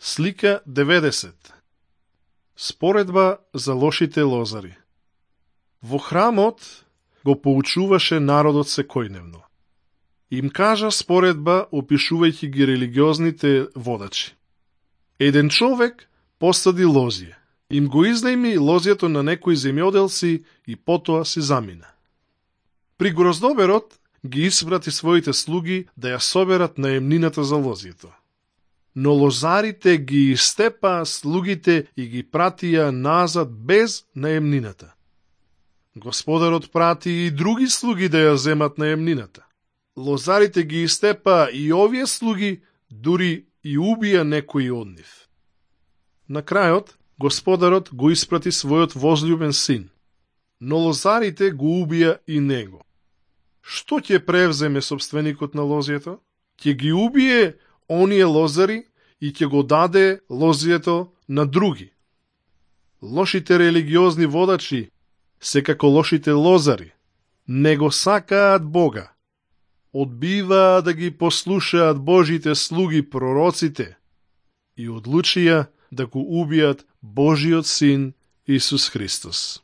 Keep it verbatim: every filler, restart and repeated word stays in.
Слика деветдесет. Споредба за лошите лозари. Во храмот го поучуваше народот секојдневно. Им кажа споредба опишувајќи ги религиозните водачи. Еден човек посади лозје. Им го изнајми лозјето на некои земјоделци и потоа си замина. При гроздоберот ги испрати своите слуги да ја соберат наемнината за лозјето. Но лозарите ги истепаа слугите и ги пратија назад без наемнината. Господарот прати и други слуги да ја земат наемнината. Лозарите ги истепаа и овие слуги, дури и убија некои од нив. На крајот, господарот го испрати својот возљубен син, но лозарите го убија и него. Што ќе превземе собственикот на лозјето? Ќе ги убие оние лозари и ќе го даде лозјето на други. Лошите религиозни водачи, секако лошите лозари, не го сакаат Бога. Одбиваа да ги послушаат Божите слуги пророците и одлучија да го убијат Божиот син Исус Христос.